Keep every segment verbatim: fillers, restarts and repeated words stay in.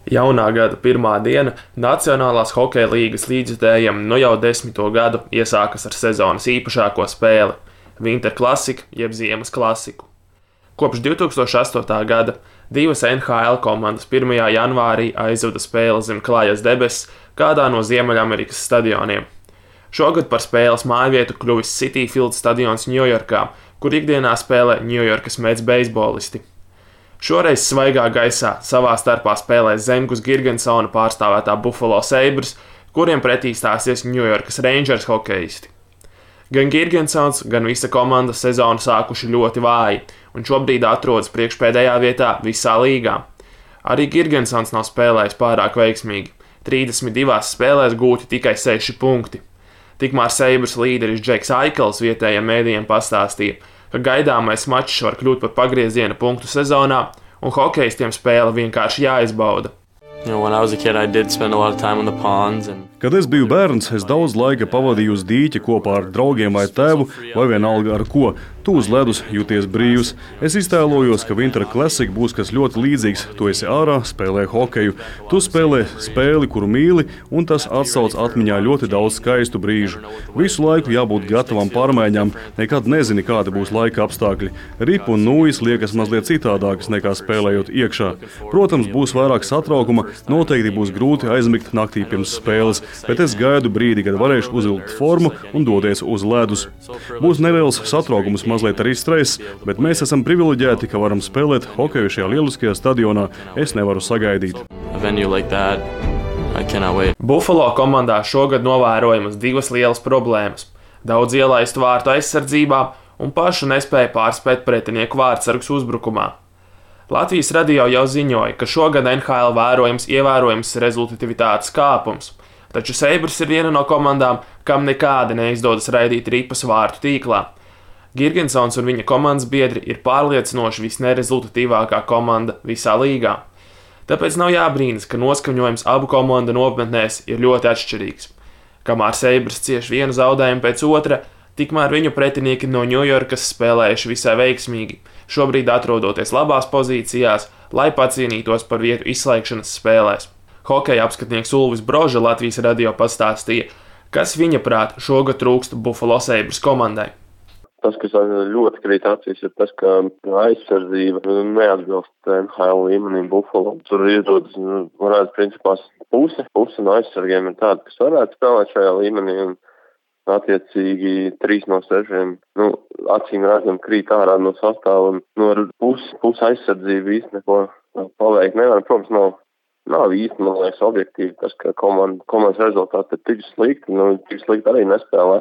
Jaunā gada pirmā diena Nacionālās hokeja līgas līdzjutējiem nu jau desmito gadu iesākas ar sezonas īpašāko spēli – Winter Classic jeb Ziemas klasiku. Kopš divi tūkstoši astotā gada divas N H L komandas pirmajā janvārī aizvada spēli zem klājas debesis kādā no Ziemeļamerikas stadioniem. Šogad par spēles mājvietu kļuvis Citi Field stadions Ņujorkā, kur ikdienā spēlē Ņujorkas Mets beisbolisti. Šoreiz svaigā gaisā savā starpā spēlēs Zemgus Girgensona pārstāvētā Buffalo Sabres, kuriem pretī stāsies Ņujorkas Rangers hokeisti. Gan Girgensons, gan visa komanda sezonu sākuši ļoti vāji, un šobrīd atrodas priekšpēdējā vietā visā līgā. Arī Girgensons nav spēlējis pārāk veiksmīgi. trīsdesmit divās spēlēs gūti tikai seši punkti. Tikmēr Sabres līderis Džeks Aikels vietējiem mēdījiem pastāstīja, ka gaidāmais mačs var kļūt par pagrieziena punktu sezonā, un hokeistiem spēle vienkārši jāizbauda. You know, when I was a kid, I did spend a lot of time on the ponds and Kad es biju bērns, es daudz laika pavadīju uz dīķa kopā ar draugiem vai tēvu, vai vienalga ar ko. Tu uz ledus jūties brīvs. Es iztēlojos, ka Winter Classic būs kas ļoti līdzīgs. Tu esi ārā, spēlē hokeju. Tu spēlē spēli, kuru mīli, un tas atsauc atmiņā ļoti daudz skaistu brīžu. Visu laiku jābūt gatavam pārmaiņām, nekad nezini, kādi būs laika apstākļi. Ripu un nūjas liekas mazliet citādākas nekā spēlējot iekšā. Protams, būs vairāk satraukuma, noteikti būs grūti aizmigt naktī pirms spēles. Bet es gaidu brīdi, kad varēšu uzvilkt formu un doties uz ledus. Būs neliels satraukums, mazliet arī stress, bet mēs esam privileģēti, ka varam spēlēt hokeju šajā lieliskajā stadionā. Es nevaru sagaidīt. like that, I cannot wait. Buffalo komandā šogad novērojamas divas lielas problēmas – daudz ielaistu vārtu aizsardzībā un pašu nespēja pārspēt pretinieku vārtsargus uzbrukumā. Latvijas radio jau ziņoja, ka šogad N H L vērojams ievērojams rezultatīvitātes kāpums. Taču Sabres ir viena no komandām, kam nekādi neizdodas raidīt ripas vārtu tīklā. Girgensons un viņa komandas biedri ir pārliecinoši visnerezultatīvākā komanda visā līgā. Tāpēc nav jābrīnas, ka noskaņojums abu komandu nometnēs ir ļoti atšķirīgs. Kamēr Sabres cieš vienu zaudējumu pēc otra, tikmēr viņu pretinieki no Ņujorkas spēlējuši visai veiksmīgi, šobrīd atrodoties labās pozīcijās, lai pacīnītos par vietu izslēgšanas spēlēs. Hokeja apskatnieks Ulvis Broža Latvijas radio pastāstīja, kas viņa prāt šogad trūkst Buffalo Sabres komandai. Tas, kas ļoti krīt acīs, ir tas, ka aizsardzība neatbilst N H L līmenim Buffalo. Tur iedodas, varētu principā puse, puse no aizsargiem ir tāda, kas varētu spēlēt šajā līmenī, un attiecīgi trīs no sešiem, nu, acīm redzam, krīt ārā no sastāva, un no puses pus aizsardzību īsti neko paveikt nevar. Protams, nav, nav īsti, man liekas, objektīvi tas, ka komanda, komandas rezultāti ir tik slikti, nu, tik slikti arī nespēlē,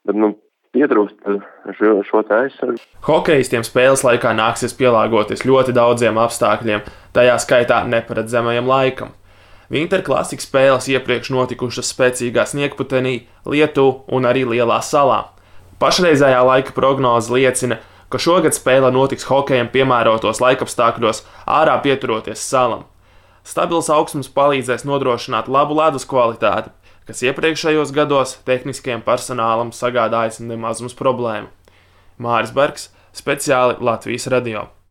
bet, nu, pietrūkst šo, šo te aizsargu. Hokeistiem spēles laikā nāksies pielāgoties ļoti daudziem apstākļiem, tajā skaitā neparedzamajam laikam. Winter Classic spēles iepriekš notikušas spēcīgā sniegputenī, Lietu un arī Lielā salā. Pašreizējā laika prognoze liecina, ka šogad spēle notiks hokejam piemērotos laikapstākļos, ārā pieturoties salam. Stabils augstums palīdzēs nodrošināt labu ledus kvalitāti, kas iepriekšējos gados tehniskajam personālam sagādājis nemazums problēmu. Māris Bergs, speciāli Latvijas radio.